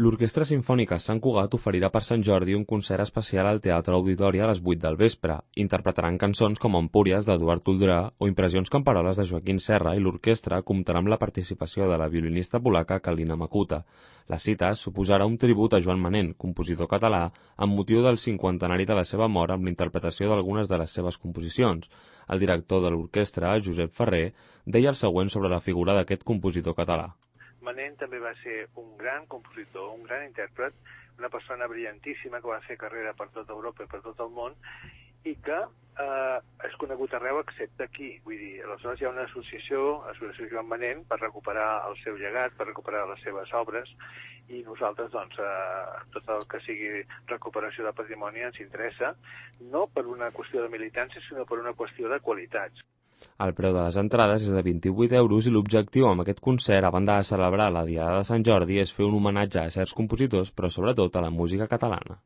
L'Orquestra Simfònica Sant Cugat oferirà per Sant Jordi un concert especial al Teatre Auditori a les 8 del vespre. Interpretaran cançons com Empúries d'Eduard Toldrà o Impressions Camperoles de Joaquín Serra i l'orquestra comptarà amb la participació de la violinista polaca Kalina Makuta. La cita suposarà un tribut a Joan Manent, compositor català, amb motiu del 50enari de la seva mort amb la interpretació d'algunes de les seves composicions. El director de l'orquestra, Josep Ferrer, deia el següent sobre la figura d'aquest compositor català. Manent també va ser un gran compositor, un gran intèrpret, una persona brillantíssima que va fer carrera per tota Europa i per tot el món i que és conegut arreu excepte aquí. Vull dir, aleshores hi ha una associació Joan Manent per recuperar el seu llegat, per recuperar les seves obres i nosaltres, doncs, tot el que sigui recuperació de patrimoni ens interessa, no per una qüestió de militància, sinó per una qüestió de qualitats. El preu de les entrades és de 28 euros i l'objectiu amb aquest concert, a banda de celebrar la Diada de Sant Jordi, és fer un homenatge a certs compositors, però sobretot a la música catalana.